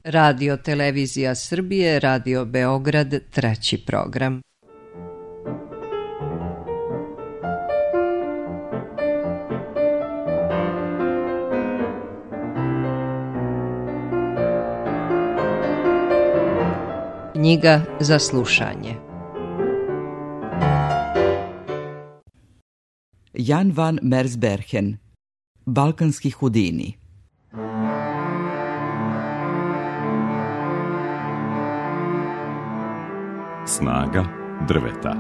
Radio Televizija Srbije, Radio Beograd, 3. program. Knjiga za slušanje. Jan van Mersbergen, Balkanski Hudini. Snaga drveta.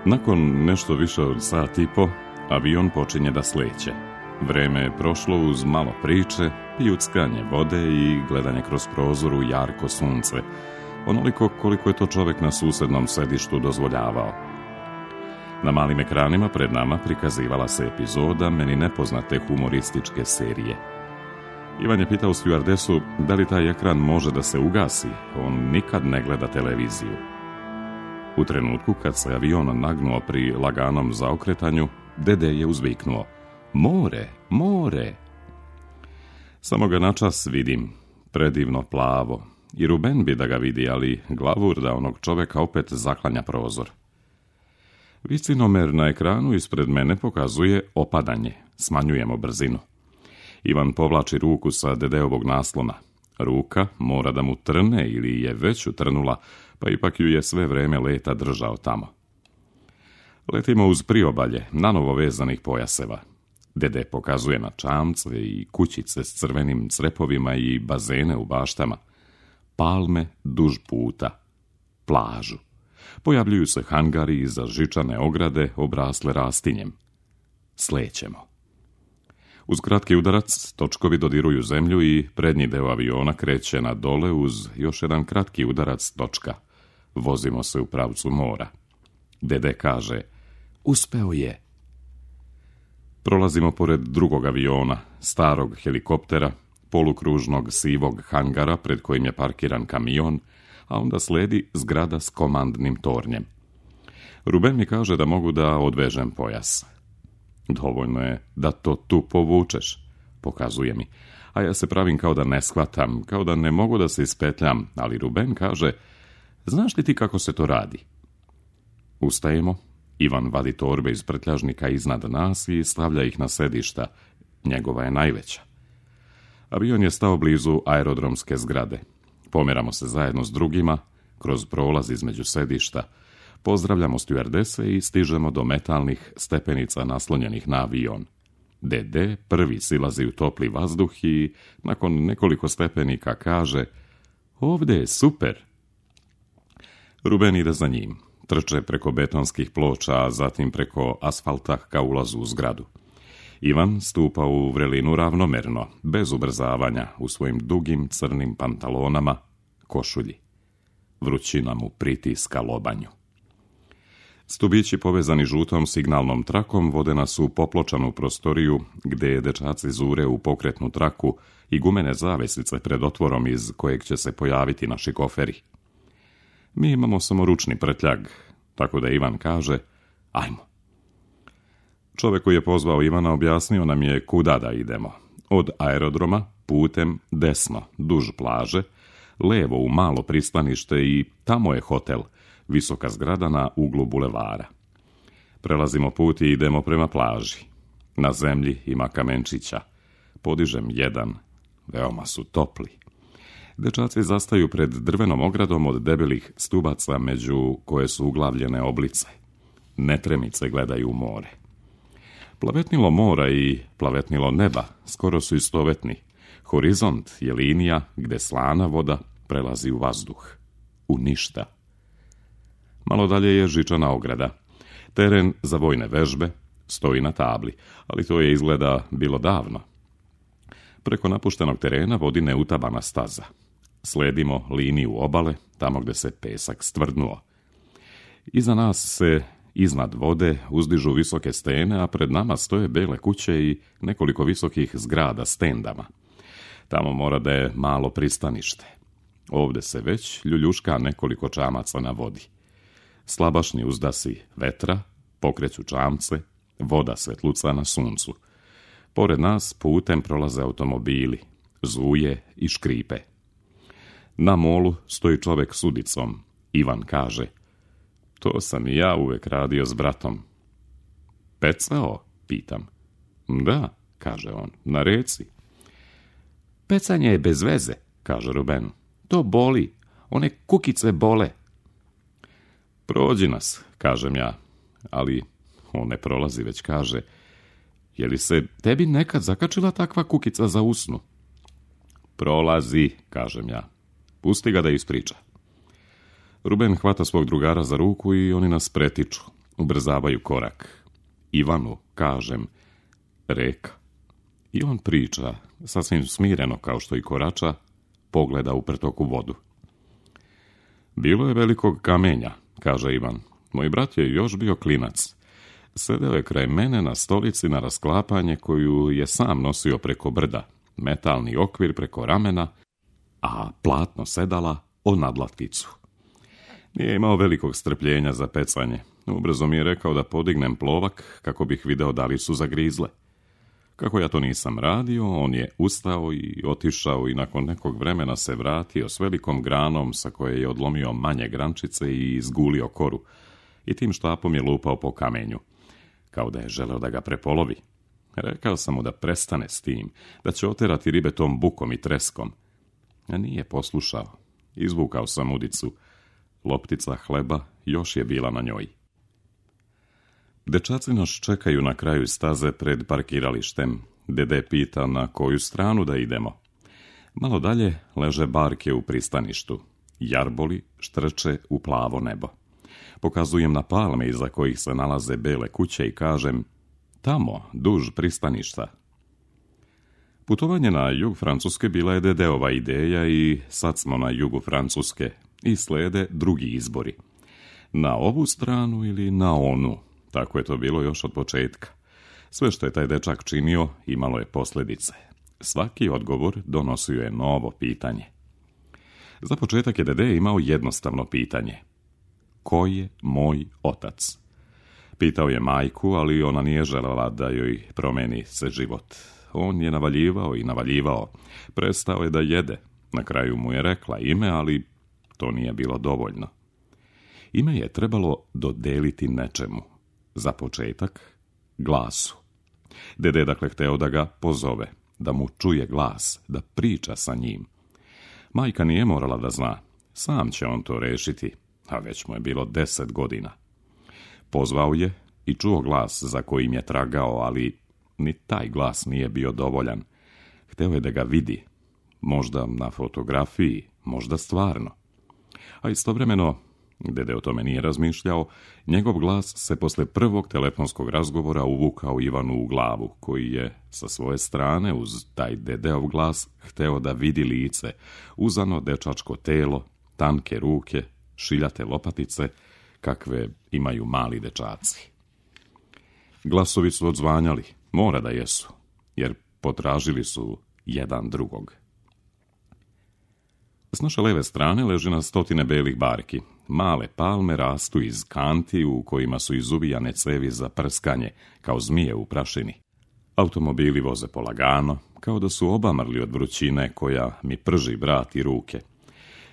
Nakon nešto više od sat i po, avion počinje da sleće. Vreme je prošlo uz malo priče, pljuckanje vode i gledanje kroz prozor u jarko sunce, onoliko koliko je to čovjek na susednom sedištu dozvoljavao. Na malim ekranima pred nama prikazivala se epizoda meni nepoznate humorističke serije. Ivan je pitao stjuardesu da li taj ekran može da se ugasi, on nikad ne gleda televiziju. U trenutku kad se avion nagnuo pri laganom zaokretanju, dede je uzviknuo: "More, more!" Samo ga načas vidim, predivno plavo, i Ruben bi da ga vidi, ali glavur da onog čoveka opet zaklanja prozor. Vicinomer na ekranu ispred mene pokazuje opadanje, smanjujemo brzinu. Ivan povlači ruku sa dedeovog naslona. Ruka mora da mu trne ili je već utrnula, pa ipak ju je sve vreme leta držao tamo. Letimo uz priobalje, nanovo vezanih pojaseva. Dede pokazuje na čamce i kućice s crvenim crepovima i bazene u baštama. Palme duž puta. Plažu. Pojavljuju se hangari iza žičane ograde obrasle rastinjem. Slećemo. Uz kratki udarac točkovi dodiruju zemlju i prednji deo aviona kreće na dole uz još jedan kratki udarac točka. Vozimo se u pravcu mora. Dede kaže: "Uspeo je." Prolazimo pored drugog aviona, starog helikoptera, polukružnog sivog hangara pred kojim je parkiran kamion, a onda sledi zgrada s komandnim tornjem. Ruben mi kaže da mogu da odvežem pojas. "Dovoljno je da to tu povučeš", pokazuje mi, a ja se pravim kao da ne shvatam, kao da ne mogu da se ispetljam, ali Ruben kaže: "Znaš li ti kako se to radi?" Ustajemo, Ivan vadi torbe iz prtljažnika iznad nas i stavlja ih na sedišta, njegova je najveća. Avion je stao blizu aerodromske zgrade. Pomeramo se zajedno s drugima, kroz prolaz između sedišta, pozdravljamo stjuardese i stižemo do metalnih stepenica naslonjenih na avion. Dede prvi silazi u topli vazduh i nakon nekoliko stepenika kaže: "Ovde je super." Ruben ide za njim. Trče preko betonskih ploča, a zatim preko asfalta ka ulazu u zgradu. Ivan stupa u vrelinu ravnomerno, bez ubrzavanja, u svojim dugim crnim pantalonama, košulji. Vrućina mu pritiska lobanju. Stubići povezani žutom signalnom trakom vode nas u popločanu prostoriju gde dečaci zure u pokretnu traku i gumene zavesice pred otvorom iz kojeg će se pojaviti naši koferi. Mi imamo samo ručni prtljag, tako da Ivan kaže: "Ajmo." Čovjek koji je pozvao Ivana objasnio nam je kuda da idemo. Od aerodroma putem desno, duž plaže, levo u malo pristanište i tamo je hotel, visoka zgrada na uglu bulevara. Prelazimo put i idemo prema plaži. Na zemlji ima kamenčića. Podižem jedan, veoma su topli. Dečaci zastaju pred drvenom ogradom od debelih stubaca među koje su uglavljene oblice. Netremice gledaju u more. Plavetnilo mora i plavetnilo neba skoro su istovetni. Horizont je linija gde slana voda prelazi u vazduh. U ništa. Malo dalje je žičana ograda. Teren za vojne vežbe stoji na tabli, ali to je izgleda bilo davno. Preko napuštenog terena vodi neutabana staza. Sledimo liniju obale, tamo gde se pesak stvrdnuo. Iza nas se iznad vode uzdižu visoke stene, a pred nama stoje bele kuće i nekoliko visokih zgrada s tendama. Tamo mora da je malo pristanište. Ovde se već ljuljuška nekoliko čamaca na vodi. Slabašni uzdasi vetra, pokreću čamce, voda svetluca na suncu. Pored nas putem prolaze automobili, zuje i škripe. Na molu stoji čovjek s udicom. Ivan kaže: to sam i ja uvek radio s bratom. Pecao? Pitam. Da, kaže on, na reci. Pecanje je bez veze, kaže Ruben. To boli, one kukice bole. Prođi nas, kažem ja, ali on ne prolazi, već kaže: je li se tebi nekad zakačila takva kukica za usnu? Prolazi, kažem ja. Pusti ga da ispriča. Ruben hvata svog drugara za ruku i oni nas pretiču, ubrzavaju korak. Ivanu, kažem, reka. I on priča, sasvim smireno kao što i korača, pogleda u pretoku vodu. Bilo je velikog kamenja, kaže Ivan. Moj brat je još bio klinac. Sedeo je kraj mene na stolici na rasklapanje koju je sam nosio preko brda, metalni okvir preko ramena, a platno sedala o nadlatkicu. Nije imao velikog strpljenja za pecanje. Ubrzo mi je rekao da podignem plovak kako bih video da li su zagrizle. Kako ja to nisam radio, on je ustao i otišao i nakon nekog vremena se vratio s velikom granom sa koje je odlomio manje grančice i izgulio koru i tim štapom je lupao po kamenju, kao da je želeo da ga prepolovi. Rekao sam mu da prestane s tim, da će oterati ribe tom bukom i treskom. A nije poslušao. Izvukao sam udicu. Loptica hleba još je bila na njoj. Dečaci nas čekaju na kraju staze pred parkiralištem. Dede pita na koju stranu da idemo. Malo dalje leže barke u pristaništu. Jarboli štrče u plavo nebo. Pokazujem na palme iza kojih se nalaze bele kuće i kažem: tamo, duž pristaništa. Putovanje na jug Francuske bila je Dedeova ideja i sad smo na jugu Francuske i slede drugi izbori. Na ovu stranu ili na onu. Tako je to bilo još od početka. Sve što je taj dečak činio imalo je posljedice. Svaki odgovor donosio je novo pitanje. Za početak je Dede imao jednostavno pitanje. Ko je moj otac? Pitao je majku, ali ona nije željela da joj promeni se život. On je navaljivao i navaljivao. Prestao je da jede. Na kraju mu je rekla ime, ali to nije bilo dovoljno. Ime je trebalo dodeliti nečemu. Za početak, glasu. Dede je dakle hteo da ga pozove, da mu čuje glas, da priča sa njim. Majka nije morala da zna. Sam će on to rešiti, a već mu je bilo 10 godina. Pozvao je i čuo glas za kojim je tragao, ali ni taj glas nije bio dovoljan. Hteo je da ga vidi, možda na fotografiji, možda stvarno. A istovremeno, Dede o tome nije razmišljao, njegov glas se posle prvog telefonskog razgovora uvukao Ivanu u glavu, koji je sa svoje strane uz taj Dedeov glas hteo da vidi lice, uzano dečačko telo, tanke ruke, šiljate lopatice, kakve imaju mali dečaci. Glasovi su odzvanjali, mora da jesu, jer potražili su jedan drugog. S naše leve strane leži na stotine belih barki. Male palme rastu iz kanti u kojima su izuvijane cevi za prskanje, kao zmije u prašini. Automobili voze polagano, kao da su obamrli od vrućine koja mi prži vrat i ruke.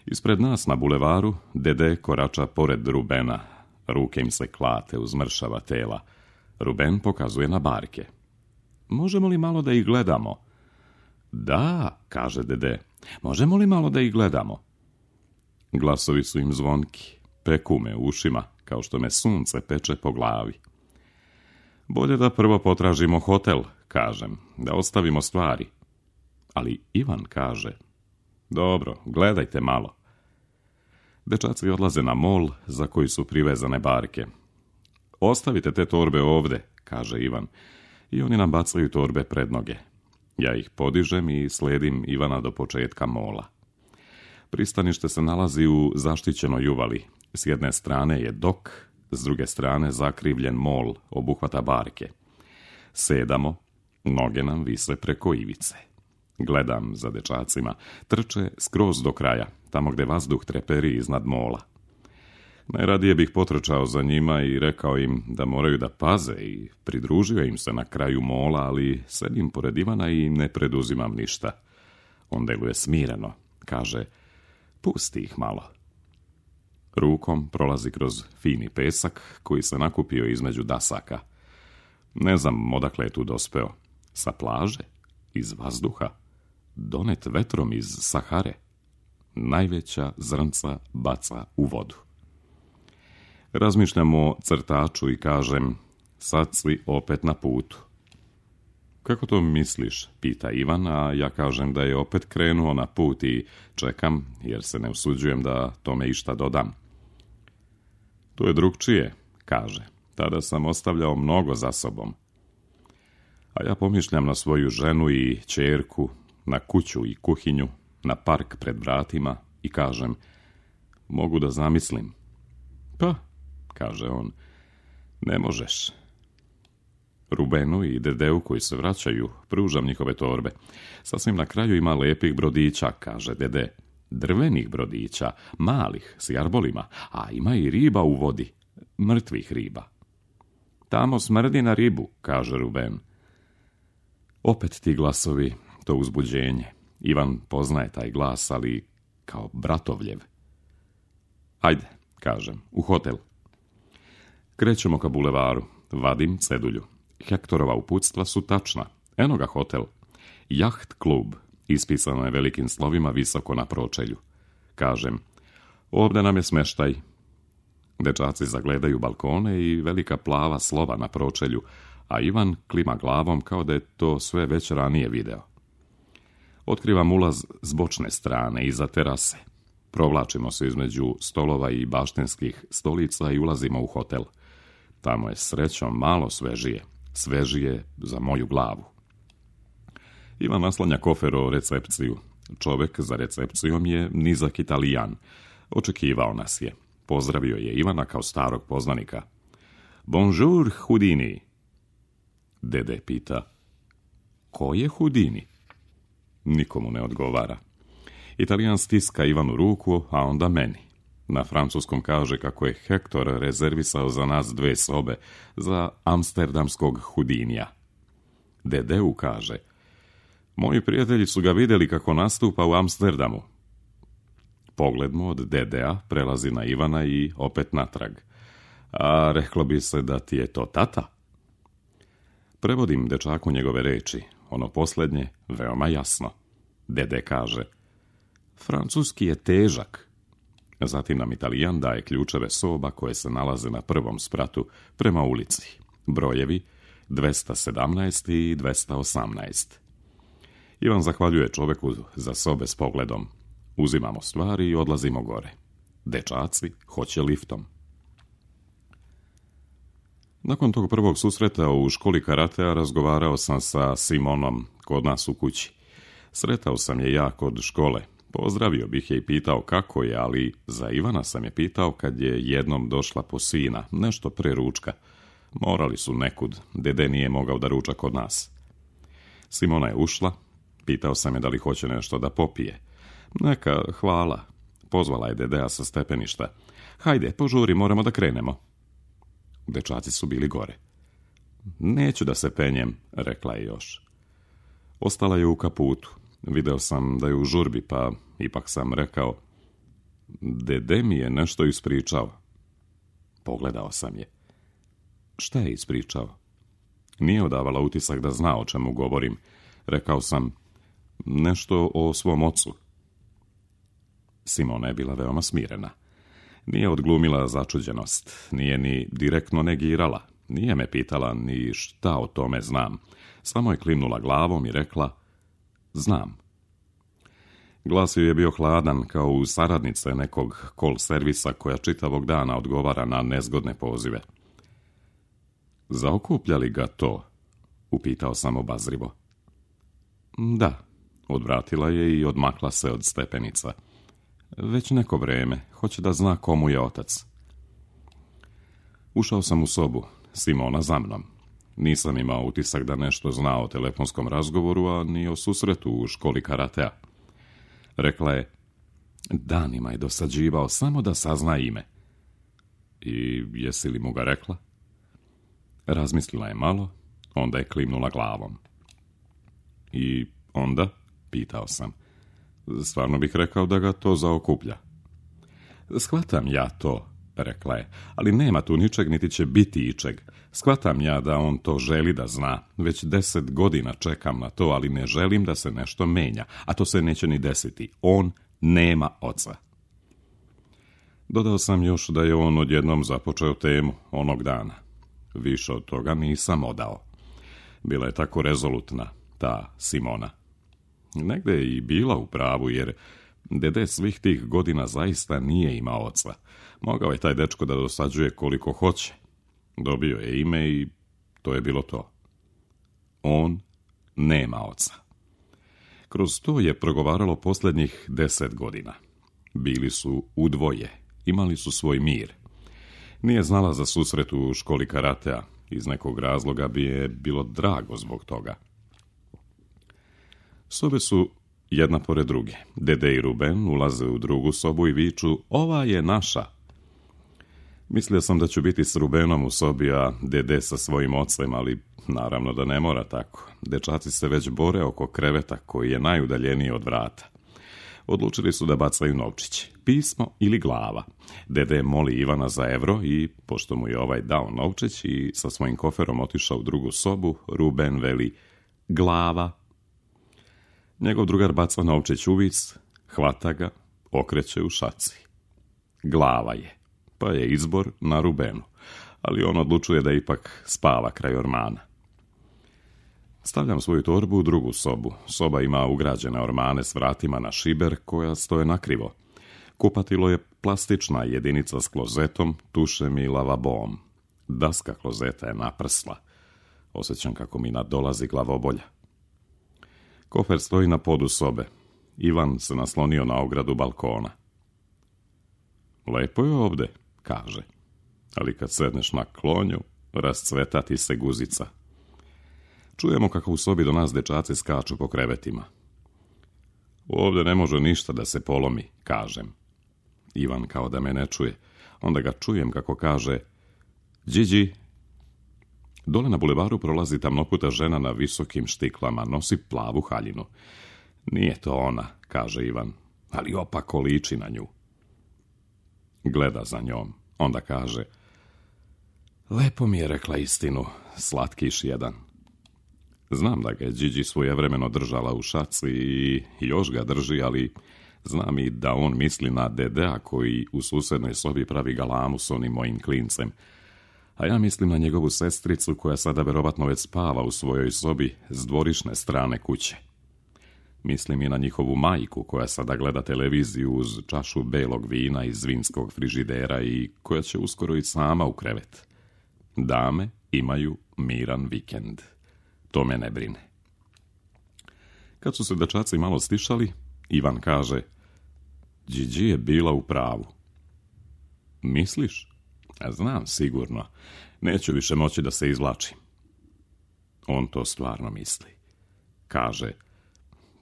Ispred nas na bulevaru Dede korača pored Rubena. Ruke im se klate uz mršava tela. Ruben pokazuje na barke. Možemo li malo da ih gledamo? Da, kaže Dede. Možemo li malo da ih gledamo? Glasovi su im zvonki, peku me u ušima, kao što me sunce peče po glavi. Bolje da prvo potražimo hotel, kažem, da ostavimo stvari. Ali Ivan kaže: dobro, gledajte malo. Dečaci odlaze na mol za koji su privezane barke. Ostavite te torbe ovde, kaže Ivan, i oni nam bacaju torbe pred noge. Ja ih podižem i sledim Ivana do početka mola. Pristanište se nalazi u zaštićenoj uvali. S jedne strane je dok, s druge strane zakrivljen mol obuhvata barke. Sedamo, noge nam vise preko ivice. Gledam za dečacima, trče skroz do kraja, tamo gde vazduh treperi iznad mola. Najradije bih potrčao za njima i rekao im da moraju da paze i pridružio im se na kraju mola, ali sedim pored Ivana i ne preduzimam ništa. On deluje smireno, kaže, pusti ih malo. Rukom prolazi kroz fini pesak koji se nakupio između dasaka. Ne znam odakle je tu dospeo. Sa plaže? Iz vazduha? Donet vetrom iz Sahare? Najveća zrnca baca u vodu. Razmišljam o crtaču i kažem, sad si opet na putu. Kako to misliš? Pita Ivan, a ja kažem da je opet krenuo na put i čekam, jer se ne usuđujem da tome išta dodam. To je drugčije, kaže. Tada sam ostavljao mnogo za sobom. A ja pomišljam na svoju ženu i ćerku, na kuću i kuhinju, na park pred vratima i kažem, mogu da zamislim. Pa, kaže on, ne možeš. Rubenu i Dedeu koji se vraćaju, pružam njihove torbe. Sasvim na kraju ima lepih brodića, kaže Dede. Drvenih brodića, malih, s jarbolima, a ima i riba u vodi, mrtvih riba. Tamo smrdi na ribu, kaže Ruben. Opet ti glasovi, to uzbuđenje. Ivan poznaje taj glas, ali kao bratovljev. Ajde, kažem, u hotel. Krećemo ka bulevaru, vadim cedulju. Hektorova uputstva su tačna. Eno ga hotel. Jaht klub, ispisano je velikim slovima visoko na pročelju. Kažem, ovdje nam je smeštaj. Dečaci zagledaju balkone i velika plava slova na pročelju, a Ivan klima glavom kao da je to sve već ranije video. Otkrivam ulaz s bočne strane, iza terase. Provlačimo se između stolova i baštenskih stolica i ulazimo u hotel. Tamo je srećom malo svežije. Svežije za moju glavu. Ivan naslanja kofer o recepciju. Čovek za recepcijom je nizak Italijan. Očekivao nas je. Pozdravio je Ivana kao starog poznanika. Bonjour, Houdini. Dede pita, ko je Houdini? Nikomu ne odgovara. Italijan stiska Ivanu ruku, a onda meni. Na francuskom kaže kako je Hektor rezervisao za nas 2 sobe za amsterdamskog Houdinija. Dedeu kaže, moji prijatelji su ga vidjeli kako nastupa u Amsterdamu. Pogled mu od Dedea prelazi na Ivana i opet natrag. A reklo bi se da ti je to tata? Prevodim dečaku njegove reči, ono posljednje veoma jasno. Dede kaže, francuski je težak. Zatim nam Italijan daje ključeve soba koje se nalaze na prvom spratu prema ulici. Brojevi 217 i 218. Ivan zahvaljuje čoveku za sobe s pogledom. Uzimamo stvari i odlazimo gore. Dečaci hoće liftom. Nakon tog prvog susreta u školi karatea razgovarao sam sa Simonom kod nas u kući. Sretao sam je ja kod škole. Pozdravio bih je i pitao kako je, ali za Ivana sam je pitao kad je jednom došla po sina, nešto pre ručka. Morali su nekud, Dede nije mogao da ruča kod nas. Simona je ušla, pitao sam je da li hoće nešto da popije. Neka, hvala. Pozvala je Dedea sa stepeništa. Hajde, požuri, moramo da krenemo. Dečaci su bili gore. Neću da se penjem, rekla je još. Ostala je u kaputu. Video sam da je u žurbi, pa ipak sam rekao, Dede mi je nešto ispričao. Pogledao sam je. Šta je ispričao? Nije odavala utisak da zna o čemu govorim. Rekao sam, nešto o svom ocu. Simona je bila veoma smirena. Nije odglumila začuđenost, nije ni direktno negirala, nije me pitala ni šta o tome znam. Samo je klimnula glavom i rekla, znam. Glas joj je bio hladan kao u saradnice nekog call servisa koja čitavog dana odgovara na nezgodne pozive. Zaokuplja li ga to? Upitao sam obazrivo. Da, odvratila je i odmakla se od stepenica. Već neko vreme, hoće da zna komu je otac. Ušao sam u sobu, Simona za mnom. Nisam imao utisak da nešto zna o telefonskom razgovoru, a ni o susretu u školi karatea. Rekla je, danima je dosađivao samo da sazna ime. I jesi li mu ga rekla? Razmislila je malo, onda je klimnula glavom. I onda, pitao sam, stvarno bih rekao da ga to zaokuplja. Shvatam ja to, rekla je, ali nema tu ničeg niti će biti ičeg. Shvatam ja da on to želi da zna. Već 10 godina čekam na to, ali ne želim da se nešto menja, a to se neće ni desiti. On nema oca. Dodao sam još da je on odjednom započeo temu onog dana. Više od toga nisam odao. Bila je tako rezolutna, ta Simona. Negde je i bila u pravu, jer dede svih tih godina zaista nije imao oca. Mogao je taj dečko da dosađuje koliko hoće. Dobio je ime i to je bilo to. On nema oca. Kroz to je progovaralo posljednjih 10 godina. Bili su u dvoje, imali su svoj mir. Nije znala za susret u školi karatea, iz nekog razloga bi je bilo drago zbog toga. Sobe su jedna pored druge. Dede i Ruben ulaze u drugu sobu i viču, ova je naša. Mislio sam da ću biti s Rubenom u sobi, a dede sa svojim ocem, ali naravno da ne mora tako. Dečaci se već bore oko kreveta koji je najudaljeniji od vrata. Odlučili su da bacaju novčić, pismo ili glava. Dede moli Ivana za evro i, pošto mu je ovaj dao novčić i sa svojim koferom otišao u drugu sobu, Ruben veli glava. Njegov drugar baca novčić u vis, hvata ga, okreće u šaci. Glava je, pa je izbor na Rubenu, ali on odlučuje da ipak spava kraj ormana. Stavljam svoju torbu u drugu sobu. Soba ima ugrađene ormane s vratima na šiber koja stoje nakrivo. Kupatilo je plastična jedinica s klozetom, tušem i lavabom. Daska klozeta je naprsla. Osjećam kako mi nadolazi glavobolja. Kofer stoji na podu sobe. Ivan se naslonio na ogradu balkona. Lepo je ovde, kaže. Ali kad sedneš na klonju, rascveta ti se guzica. Čujemo kako u sobi do nas dečaci skaču po krevetima. Ovde ne može ništa da se polomi, kažem. Ivan kao da me ne čuje. Onda ga čujem kako kaže Điđi. Dole na bulevaru prolazi tamnoputa žena na visokim štiklama, nosi plavu haljinu. Nije to ona, kaže Ivan, ali opako liči na nju. Gleda za njom, onda kaže lepo mi je rekla istinu, slatkiš jedan. Znam da ga je Điđi svojevremeno držala u šaci i još ga drži, ali znam i da on misli na dedea koji u susednoj sobi pravi galamu s onim mojim klincem. A ja mislim na njegovu sestricu koja sada verovatno već spava u svojoj sobi s dvorišne strane kuće. Mislim i na njihovu majku koja sada gleda televiziju uz čašu belog vina iz vinskog frižidera i koja će uskoro i sama u krevet. Dame imaju miran vikend. To me ne brine. Kad su se dečaci malo stišali, Ivan kaže Điđi je bila u pravu. Misliš? Znam sigurno. Neću više moći da se izvlačim. On to stvarno misli. Kaže,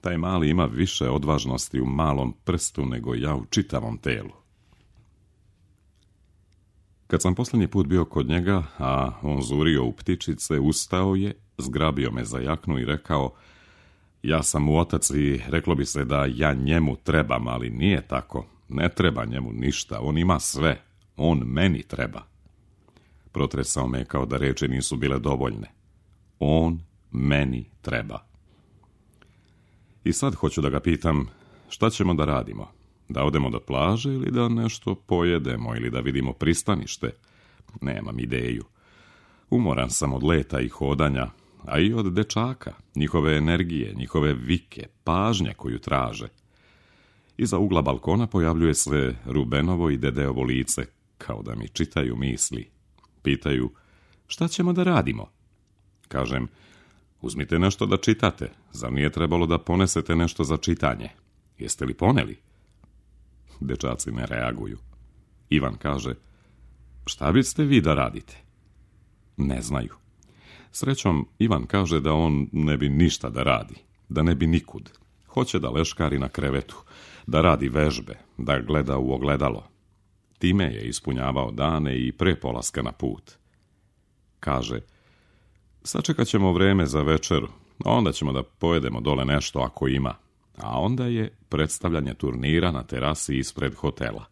taj mali ima više odvažnosti u malom prstu nego ja u čitavom telu. Kad sam posljednji put bio kod njega, a on zurio u ptičice, ustao je, zgrabio me za jaknu i rekao, ja sam mu otac i reklo bi se da ja njemu trebam, ali nije tako. Ne treba njemu ništa, on ima sve. On meni treba. Protresao me kao da reči nisu bile dovoljne. On meni treba. I sad hoću da ga pitam, šta ćemo da radimo? Da odemo do plaže ili da nešto pojedemo ili da vidimo pristanište? Nemam ideju. Umoran sam od leta i hodanja, a i od dečaka, njihove energije, njihove vike, pažnje koju traže. Iza ugla balkona pojavljuje se Rubenovo i dedeovo lice, kao da mi čitaju misli. Pitaju, šta ćemo da radimo? Kažem, uzmite nešto da čitate, zar nije trebalo da ponesete nešto za čitanje? Jeste li poneli? Dečaci ne reaguju. Ivan kaže, šta biste vi da radite? Ne znaju. Srećom, Ivan kaže da on ne bi ništa da radi, da ne bi nikud. Hoće da leškari na krevetu, da radi vežbe, da gleda u ogledalo. Time je ispunjavao dane i pre polaska na put. Kaže, sačekat ćemo vreme za večeru, a onda ćemo da pojedemo dole nešto ako ima. A onda je predstavljanje turnira na terasi ispred hotela.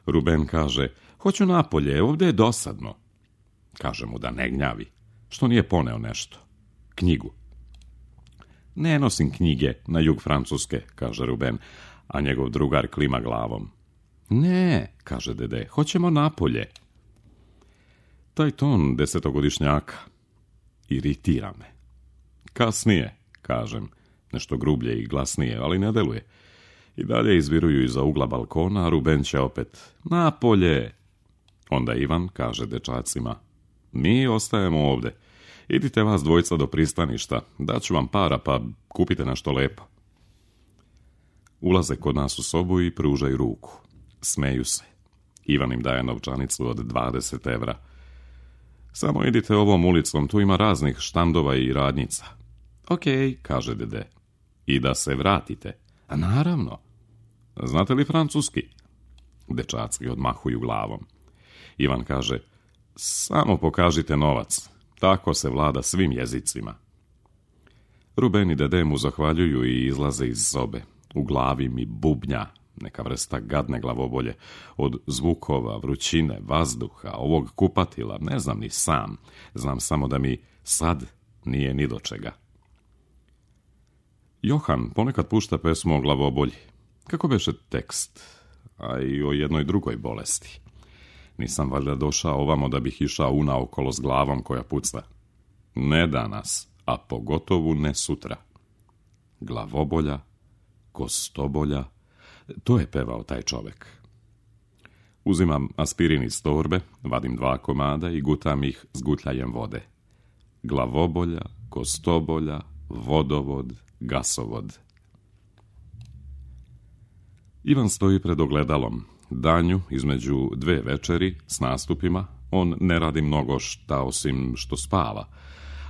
Ruben kaže, hoću napolje, ovdje je dosadno. Kaže mu da ne gnjavi, što nije poneo nešto. Knjigu. Ne nosim knjige na jug Francuske, kaže Ruben, a njegov drugar klima glavom. Ne, kaže dede, hoćemo napolje. Taj ton 10-godišnjaka iritira me. Kasnije, kažem, nešto grublje i glasnije, ali ne deluje. I dalje izviruju iza ugla balkona, a Ruben će opet, napolje. Onda Ivan kaže dečacima, mi ostajemo ovde. Idite vas dvojica do pristaništa, daću vam para pa kupite nešto lepo. Ulaze kod nas u sobu i pružaju ruku. Smeju se. Ivan im daje novčanicu od 20 evra. Samo idite ovom ulicom, tu ima raznih štandova i radnjica. Ok, kaže dede. I da se vratite. A naravno. Znate li francuski? Dečaci odmahuju glavom. Ivan kaže, samo pokažite novac. Tako se vlada svim jezicima. Ruben i dede mu zahvaljuju i izlaze iz sobe. U glavi mi bubnja, neka vrsta gadne glavobolje, od zvukova, vrućine, vazduha, ovog kupatila, ne znam ni sam. Znam samo da mi sad nije ni do čega. Johan ponekad pušta pesmu o glavobolji. Kako beše tekst, a i o jednoj drugoj bolesti. Nisam valjda došao ovamo da bih išao unaokolo s glavom koja puca. Ne danas, a pogotovo ne sutra. Glavobolja, kostobolja, to je pevao taj čovek. Uzimam aspirin iz torbe, vadim 2 komada i gutam ih s gutljajem vode. Glavobolja, kostobolja, vodovod, gasovod. Ivan stoji pred ogledalom. Danju, između 2 večeri, s nastupima, on ne radi mnogo šta osim što spava.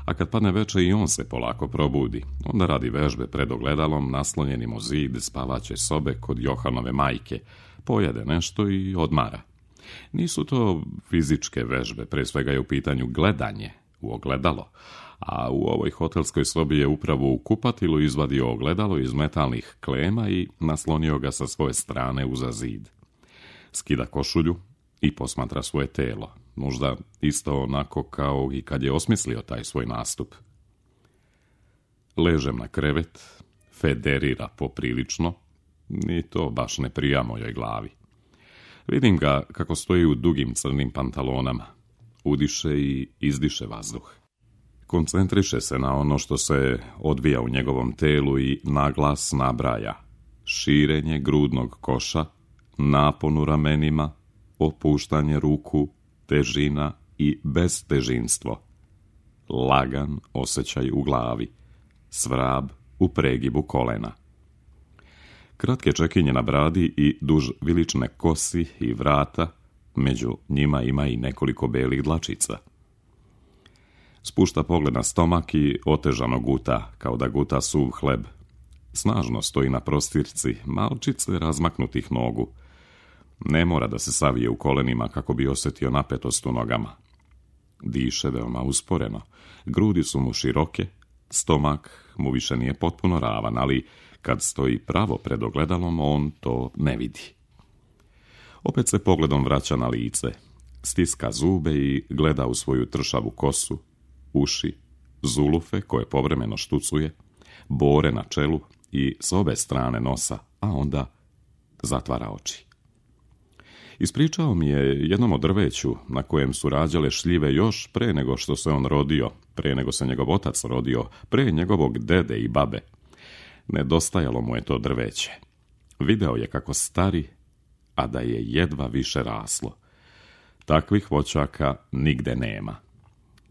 A kad padne večer i on se polako probudi. Onda radi vežbe pred ogledalom, naslonjenim o zid spavaće sobe kod Johanove majke. Pojede nešto i odmara. Nisu to fizičke vežbe, pre svega je u pitanju gledanje u ogledalo. A u ovoj hotelskoj sobi je upravo u kupatilu izvadio ogledalo iz metalnih klema i naslonio ga sa svoje strane uza zid. Skida košulju i posmatra svoje telo. Možda isto onako kao i kad je osmislio taj svoj nastup. Ležem na krevet, federira poprilično, ni to baš ne prija mojoj glavi. Vidim ga kako stoji u dugim crnim pantalonama. Udiše i izdiše vazduh. Koncentriše se na ono što se odvija u njegovom telu i naglas nabraja. Širenje grudnog koša, napon u ramenima, opuštanje ruku, težina i beztežinstvo. Lagan osjećaj u glavi, svrab u pregibu kolena. Kratke čekinje na bradi i duž vilične kosi i vrata, među njima ima i nekoliko belih dlačica. Spušta pogled na stomak i otežano guta, kao da guta suv hleb. Snažno stoji na prostirci, malčice razmaknutih nogu. Ne mora da se savije u kolenima kako bi osjetio napetost u nogama. Diše veoma usporeno, grudi su mu široke, stomak mu više nije potpuno ravan, ali kad stoji pravo pred ogledalom, on to ne vidi. Opet se pogledom vraća na lice, stiska zube i gleda u svoju tršavu kosu, uši, zulufe koje povremeno štucuje, bore na čelu i s obe strane nosa, a onda zatvara oči. Ispričao mi je jednom o drveću na kojem su rađale šljive još pre nego što se on rodio, pre nego se njegov otac rodio, pre njegovog dede i babe. Nedostajalo mu je to drveće. Video je kako stari, a da je jedva više raslo. Takvih voćaka nigde nema.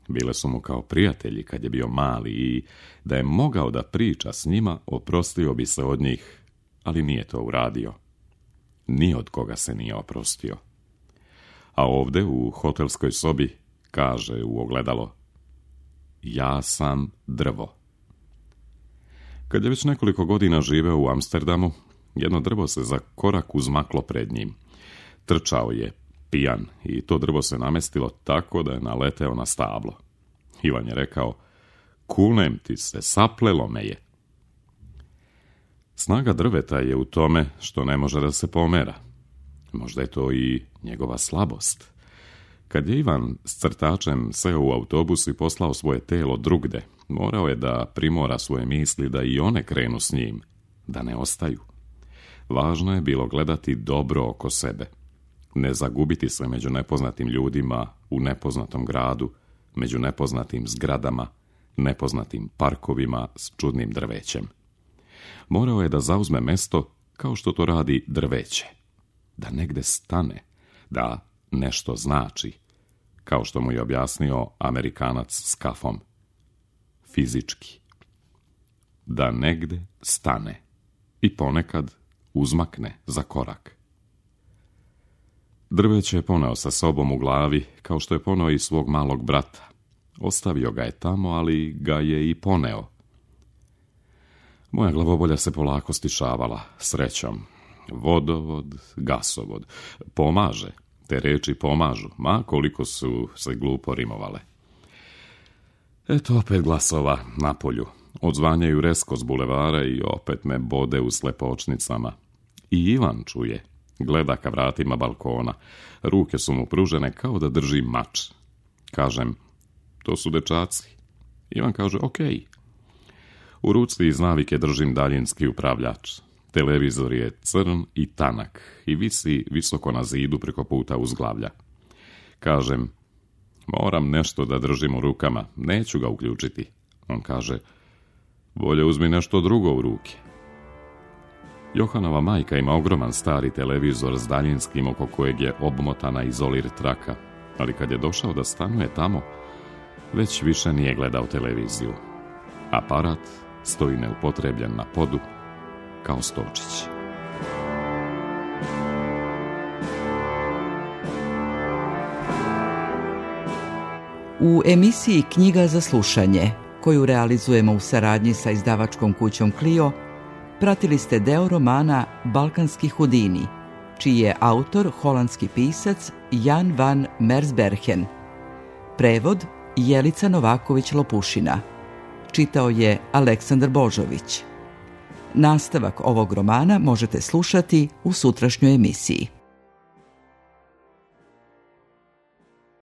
Bile su mu kao prijatelji kad je bio mali i da je mogao da priča s njima, oprostio bi se od njih, ali nije to uradio. Ni od koga se nije oprostio. A ovde u hotelskoj sobi kaže u ogledalo: ja sam drvo. Kad je već nekoliko godina živeo u Amsterdamu, jedno drvo se za korak uzmaklo pred njim. Trčao je, pijan, i to drvo se namestilo tako da je naleteo na stablo. Ivan je rekao: kunem ti se, saplelo me je. Snaga drveta je u tome što ne može da se pomera. Možda je to i njegova slabost. Kad je Ivan s crtačem seo u autobus i poslao svoje telo drugde, morao je da primora svoje misli da i one krenu s njim, da ne ostaju. Važno je bilo gledati dobro oko sebe, ne zagubiti se među nepoznatim ljudima u nepoznatom gradu, među nepoznatim zgradama, nepoznatim parkovima s čudnim drvećem. Morao je da zauzme mesto kao što to radi drveće, da negde stane, da nešto znači, kao što mu je objasnio Amerikanac s kafom. Fizički. Da negde stane i ponekad uzmakne za korak. Drveće je poneo sa sobom u glavi, kao što je poneo i svog malog brata. Ostavio ga je tamo, ali ga je i poneo. Moja glavobolja se polako stišavala, srećom. Vodovod, gasovod. Pomaže. Te reči pomažu, ma koliko su se glupo rimovale. Eto opet glasova na polju. Odzvanjaju resko s bulevara i opet me bode u slepočnicama. I Ivan čuje. Gleda ka vratima balkona. Ruke su mu pružene kao da drži mač. Kažem: to su dečaci. Ivan kaže: okej. U ruci iz navike držim daljinski upravljač. Televizor je crn i tanak i visi visoko na zidu preko puta uzglavlja. Kažem: moram nešto da držim u rukama, neću ga uključiti. On kaže: bolje uzmi nešto drugo u ruke. Johanova majka ima ogroman stari televizor s daljinskim oko kojeg je obmotana izolir traka, ali kad je došao da stanuje tamo, već više nije gledao televiziju. Aparat stoji neupotrebljen na podu, kao stolčić. U emisiji Knjiga za slušanje, koju realizujemo u saradnji sa izdavačkom kućom Clio, pratili ste deo romana Balkanski Hudini, čiji je autor holandski pisac Jan van Mersbergen. Prevod Jelica Novaković-Lopušina. Čitao je Aleksandar Božović. Nastavak ovog romana možete slušati u sutrašnjoj emisiji.